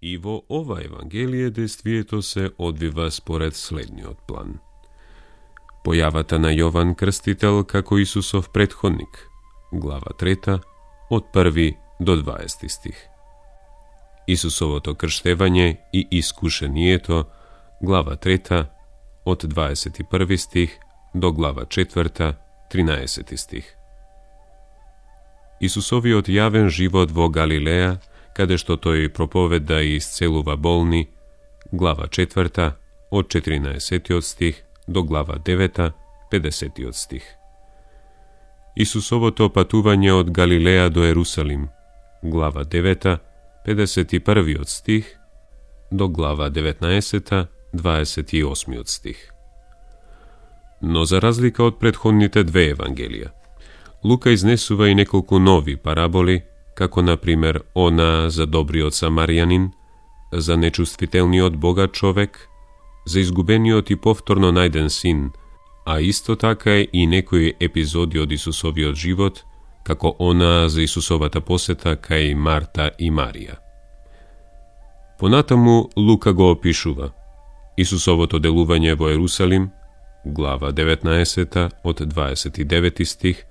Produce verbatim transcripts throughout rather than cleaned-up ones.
И во ова Евангелие действието се одвива според следниот план. Појавата на Јован Крстител како Исусов претходник, глава трета, од први до дваесети стих. Исусовото крштевање и искушението, глава трета, од дваесет и први стих до глава четврта, тринаесети стих. Исусовиот јавен живот во Галилеја, каде што тој проповеда и исцелува болни, глава четврта, од четиринаесетиот стих до глава девета, педесетиот стих. Исусовото патување од Галилеја до Ерусалим, глава девета, педесет и првиот стих до глава деветнаесета, дваесет и осмиот стих. Но за разлика од претходните две Евангелија, Лука изнесува и неколку нови параболи, како например она за добриот самарјанин, за нечувствителниот богат човек, за изгубениот и повторно најден син, а исто така и некои епизоди од Исусовиот живот, како она за Исусовата посета кај Марта и Марија. Понатаму Лука го опишува Исусовото делување во Ерусалим, глава деветнаесета, од дваесет и девети стих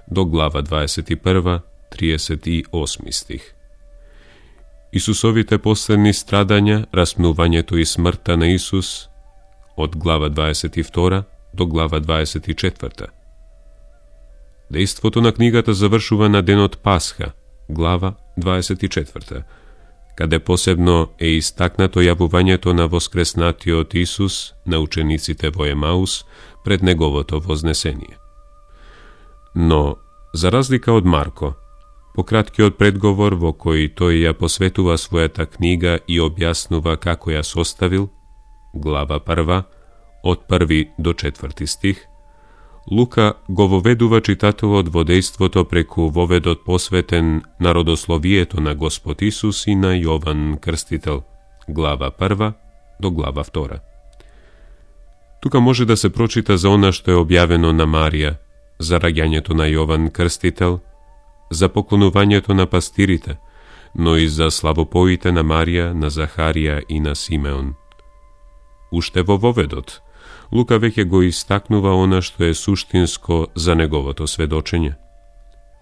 до глава дваесет и прва, триесет и осми стих. Исусовите последни страдања, распнувањето и смртта на Исус, од глава дваесет и втора до глава дваесет и четврта. Дејството на книгата завршува на денот Пасха, глава дваесет и четврта, каде посебно е истакнато јавувањето на воскреснатиот Исус на учениците во Емаус пред неговото вознесение. Но, за разлика од Марко, по краткиот предговор во кој тој ја посветува својата книга и објаснува како ја составил, глава прва, од први до четврти стих, Лука го воведува читателот во дејството преку воведот посветен на родословието на Господ Исус и на Јован Крстител, глава прва до глава втора. Тука може да се прочита за она што е објавено на Марија, за раѓањето на Јован Крстител, за поклонувањето на пастирите, но и за славопоите на Марија, на Захарија и на Симеон. Уште во воведот, Лука веќе го истакнува она што е суштинско за неговото сведочење.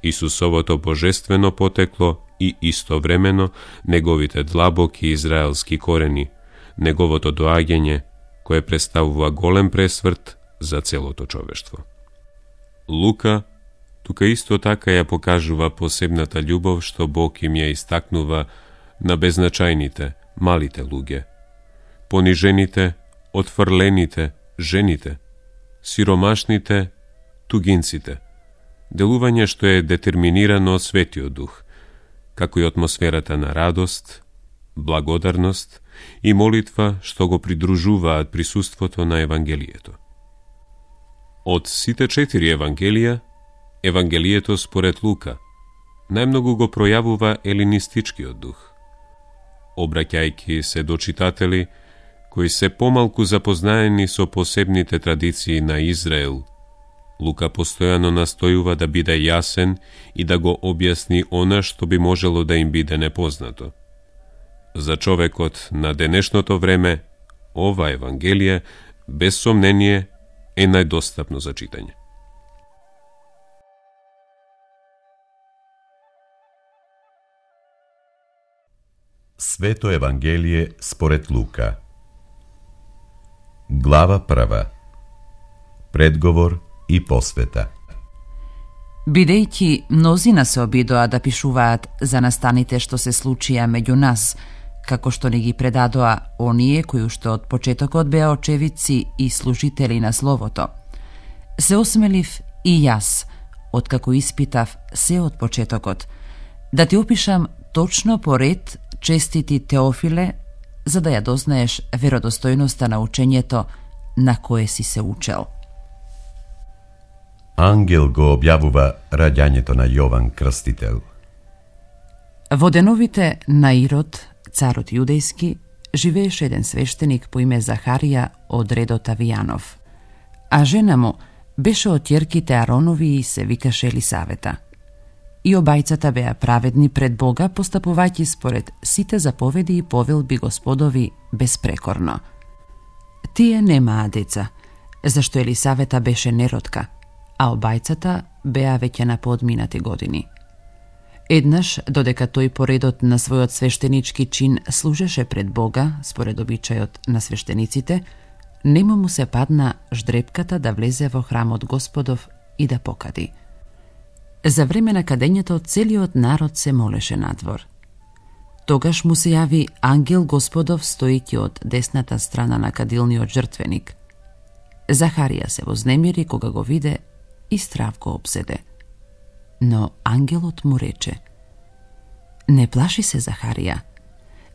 Исусовото божествено потекло и истовремено неговите длабоки израелски корени, неговото доаѓање, кое представува голем пресврт за целото човештво. Лука тука исто така ја покажува посебната љубов што Бог им ја истакнува на беззначајните, малите луѓе, понижените, отфрлените, жените, сиромашните, тугинците, делување што е детерминирано од Светиот Дух, како и атмосферата на радост, благодарност и молитва што го придружуваат присуството на Евангелието. Од сите четири Евангелија, Евангелието според Лука најмногу го пројавува елинистичкиот дух. Обраќајќи се до читатели кои се помалку запознаени со посебните традиции на Израел, Лука постојано настојува да биде јасен и да го објасни она што би можело да им биде непознато. За човекот на денешното време, ова Евангелие, без сомнение, е најдостапно за читање. Свето Евангелие според Лука. Глава прва. Предговор и посвета. Бидејќи мнозина се обидоа да пишуваат за настаните што се случија меѓу нас, како што ни ги предадоа оние кои уште од почетокот беа очевидци и служители на Словото, се осмелив и јас, откако испитав се од почетокот, да ти опишам точно по ред, честити Теофиле, за да ја дознаеш веродостојноста на учењето на кое си се учел. Ангел го објавува раѓањето на Јован Крстител. Во деновите на Ирод, царот јудејски, живееше еден свештеник по име Захарија од редот Авијанов, а жена му беше од ќерките Аронови и се викаше Елисавета. и обајцата беа праведни пред Бога, постапувајќи според сите заповеди и повелби Господови безпрекорно. Тие немаа деца, зашто Елисавета беше неродка, а обајцата беа веќе на поодминати години. Еднаш, додека тој по редот на својот свештенички чин служеше пред Бога, според обичајот на свештениците, нему му се падна ждрепката да влезе во храмот Господов и да покади. За време на кадењето целиот народ се молеше надвор. Тогаш му се јави ангел Господов стојќи од десната страна на кадилниот жртвеник. Захарија се вознемири кога го виде и страв го обседе. Но ангелот му рече: не плаши се, Захарија,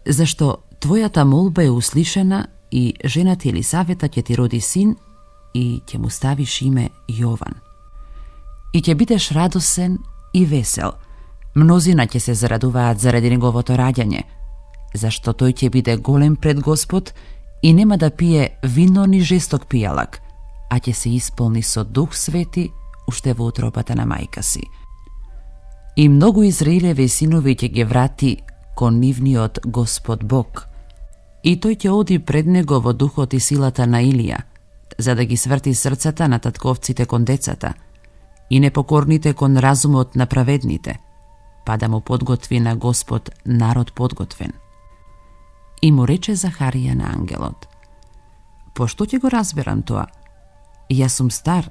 зашто твојата молба е услишана и жената Елисавета ќе ти роди син и ќе му ставиш име Јован. И ќе бидеш радосен и весел. Мнозина ќе се зарадуваат заради неговото раѓање, зашто тој ќе биде голем пред Господ и нема да пие вино ни жесток пијалак, а ќе се исполни со Дух Свети уште во утробата на мајка си. И многу Израилеви синови ќе ги врати кон нивниот Господ Бог, и тој ќе оди пред него во духот и силата на Илија, за да ги сврти срцата на татковците кон децата и непокорните кон разумот на праведните, па да му подготви на Господ народ подготвен. И му рече Захарија на ангелот: пошто ќе го разберам тоа? Јас сум стар,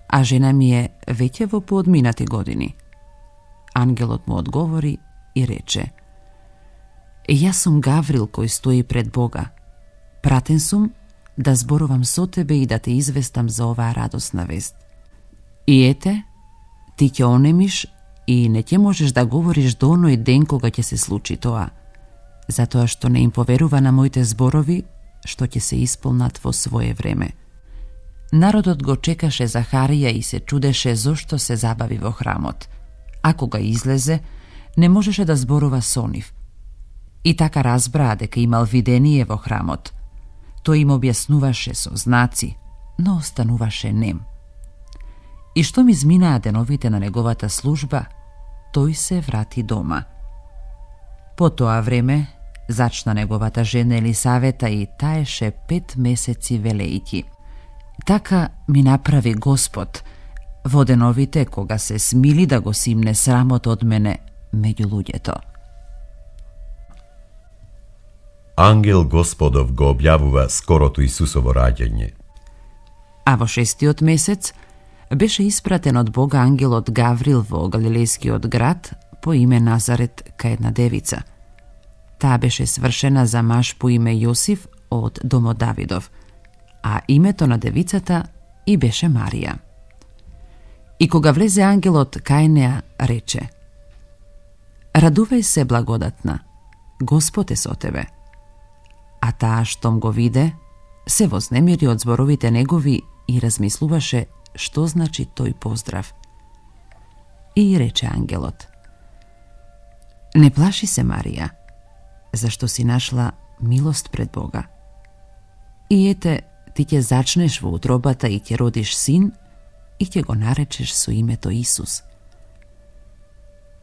а жена ми е веќе во поодминати години. Ангелот му одговори и рече: јас сум Гаврил кој стои пред Бога. Пратен сум да зборувам со тебе и да те известам за оваа радосна вест. И ете, ти ќе онемиш и не ќе можеш да говориш до оној ден кога ќе се случи тоа, затоа што не им поверува на моите зборови, што ќе се исполнат во свое време. Народот го чекаше Захарија и се чудеше зошто се забави во храмот, а кога излезе, не можеше да зборува со нив. И така разбраа дека имал видение во храмот. Тој им објаснуваше со знаци, но остануваше нем. И што ми изминаа деновите на неговата служба, тој се врати дома. По тоа време зачна неговата жена Елисавета и таеше пет месеци велејки. Така ми направи Господ во деновите кога се смили да го симне срамот од мене меѓу луѓето. Ангел Господов го објавува скорото Исусово раѓање. А во шестиот месец беше испратен од Бога ангелот Гаврил во галилејскиот град по име Назарет кај една девица. Таа беше свршена за маж по име Јосиф од домот Давидов, а името на девицата и беше Марија. И кога влезе ангелот кај неа, рече: радувај се, благодатна, Господ е со тебе. А таа штом го виде, се вознемири од зборовите негови и размислуваше што значи тој поздрав. И рече ангелот: не плаши се, Марија, зашто си нашла милост пред Бога. И ете, ти ќе зачнеш во утробата и ќе родиш син и ќе го наречеш со името Исус.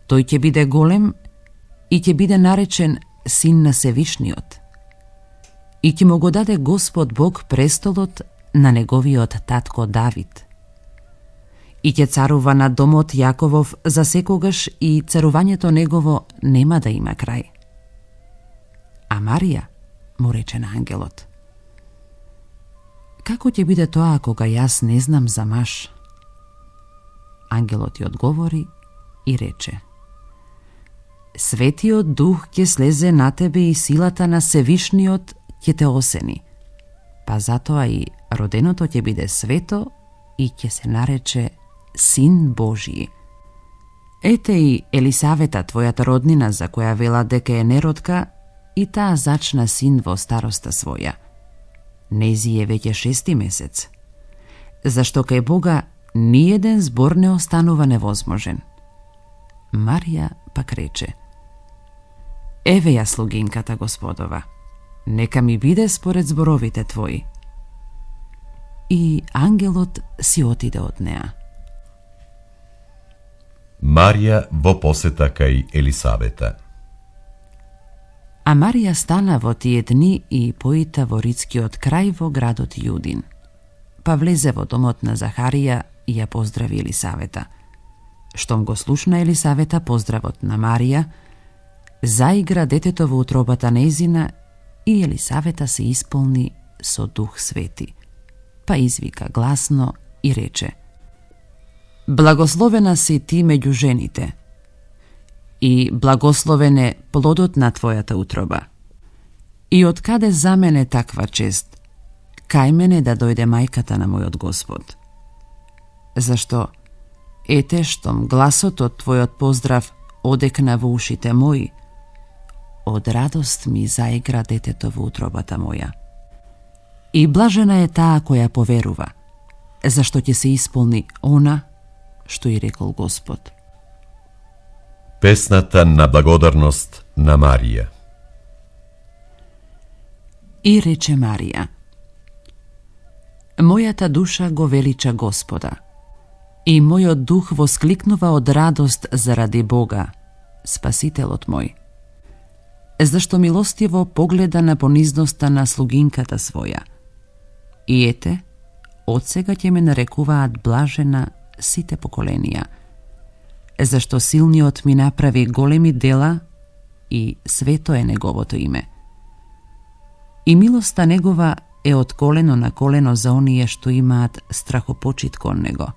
Тој ќе биде голем и ќе биде наречен син на Севишниот. И ќе му го даде Господ Бог престолот на неговиот татко Давид. И ќе царува на домот Јаковов за секогаш и царувањето негово нема да има крај. А Марија му рече на ангелот: како ќе биде тоа кога јас не знам за маж? Ангелот ја одговори и рече: Светиот Дух ќе слезе на тебе и силата на Севишниот ќе те осени, па затоа и роденото ќе биде свето и ќе се нарече Син Божји. Ете и Елисавета, твојата роднина, за која вела дека е неродка, и таа зачна син во староста своја. Нези е веќе шести месец, зашто кај Бога ниеден збор не останува невозможен. Марија пак рече: еве ја слугинката Господова, нека ми биде според зборовите твои. И ангелот си отиде од неа. Марија во посета кај Елисавета. А Марија стана во тие дни и поита во рицкиот крај во градот Јудин. Па влезе во домот на Захарија и ја поздрави Елисавета. Штом го слушна Елисавета поздравот на Марија, заигра детето во утробата нејзина и Елисавета се исполни со Дух Свети. Па извика гласно и рече: Благословена си ти меѓу жените и благословен е плодот на твојата утроба. И од каде за мене таква чест? Кај мене да дојде мајката на мојот Господ? Зашто, ете штом гласот од твојот поздрав одекна во ушите мои, од радост ми заигра детето во утробата моја. И блажена е таа која поверува, зашто ќе се исполни она што и рекол Господ. Песната на благодарност на Марија. И рече Марија: Мојата душа го велича Господа, и мојот дух воскликнува од радост заради Бога, Спасителот мој. Зашто милостиво погледа на понизноста на слугинката своја. И ете, одсега ќе ме нарекуваат блажена сите поколенија, зашто силниот ми направи големи дела и свето е неговото име. И милоста негова е од колено на колено за оние што имаат страхопочит кон него.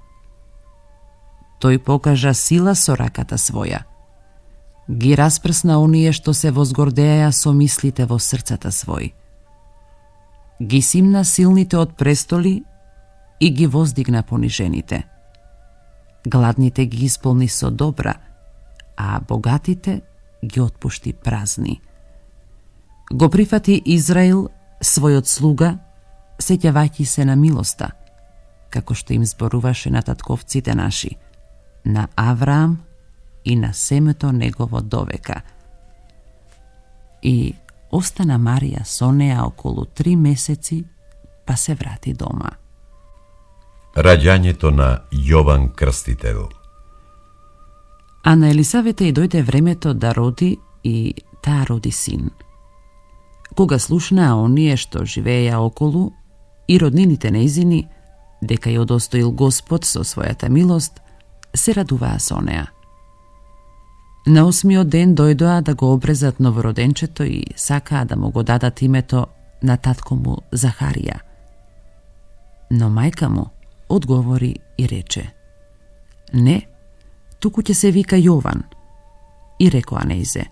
Тој покажа сила со раката своја. Ги распрсна оние што се возгордеја со мислите во срцата свој. Ги симна силните од престоли и ги воздигна понижените. Гладните ги исполни со добра, а богатите ги отпушти празни. Го прифати Израил, својот слуга, сеќавајќи се на милоста, како што им зборуваше на татковците наши, на Авраам и на семето негово довека. И остана Марија со неа околу три месеци, па се врати дома. Раѓањето на Јован Крстител. А на Елисавета и дојде времето да роди и таа роди син. Кога слушнаа оние што живееја околу и роднините нејзини, дека ја одостоил Господ со својата милост, се радуваа со неа. На осмиот ден дојдоа да го обрезат новороденчето и сакаа да му го дадат името на татко му Захарија. Но мајка му одговори и рече: Не, туку ќе се вика Јован. И рекоа нејзе: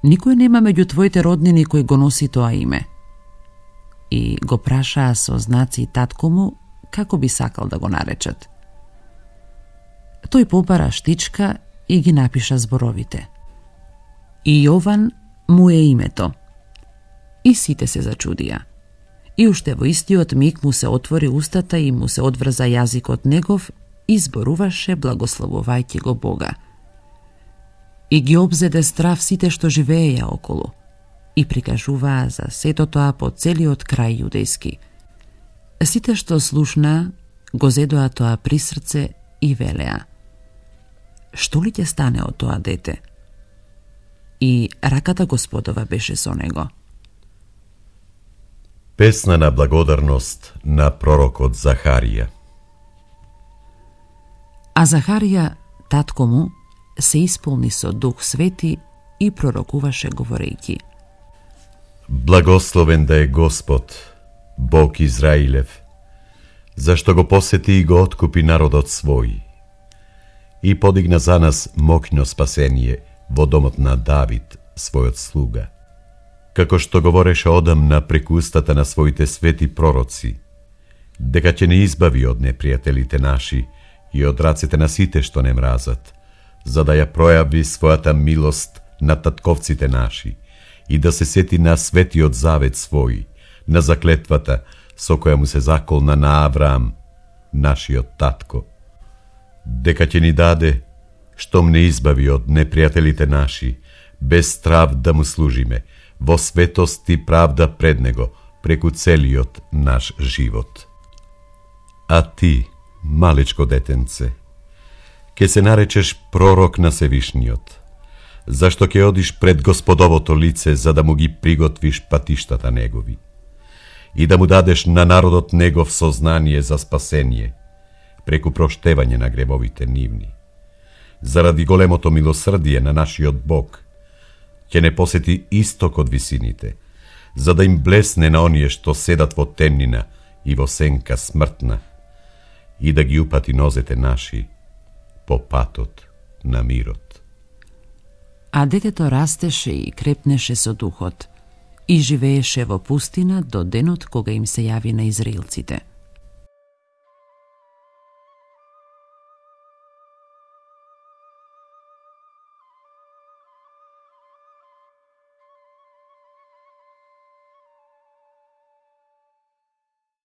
Никој нема меѓу твоите роднини кој го носи тоа име. И го прашаа со знаци татко му како би сакал да го наречат. Тој побара штичка и ги напиша зборовите: И Јован му е името. И сите се зачудија. И уште во истиот миг му се отвори устата и му се одврза јазикот негов и зборуваше благословувајќи го Бога. И ги обзеде страв сите што живееја околу и прикажуваа за сето тоа по целиот крај јудејски. Сите што слушнаа го зедоа тоа при срце и велеа: Што ли ќе стане од тоа дете? И раката Господова беше со него. Песна на благодарност на пророкот Захарија. А Захарија, татко му, се исполни со Дух Свети и пророкуваше говорејќи: Благословен да е Господ, Бог Израилев, зашто го посети и го откупи народот свој и подигна за нас моќно спасение во домот на Давид, својот слуга, како што говореше одамна преку устата на своите свети пророци, дека ќе не избави од непријателите наши и од рацете на сите што не мразат, за да ја пројави својата милост на татковците наши и да се сети на светиот завет свој, на заклетвата со која му се заколна на Авраам, нашиот татко, дека ќе ни даде, штом не избави од непријателите наши, без страв да му служиме, во светост и правда пред него, преку целиот наш живот. А ти, малечко детенце, ке се наречеш пророк на Севишниот, зашто ке одиш пред Господовото лице за да му ги приготвиш патиштата негови и да му дадеш на народот негов сознание за спасение, преку проштевање на гревовите нивни. Заради големото милосрдие на нашиот Бог, ќе не посети исток од висините, за да им блесне на оние што седат во темнина и во сенка смртна, и да ги упати нозете наши по патот на мирот. А детето растеше и крепнеше со духот и живееше во пустина до денот кога им се јави на израелците.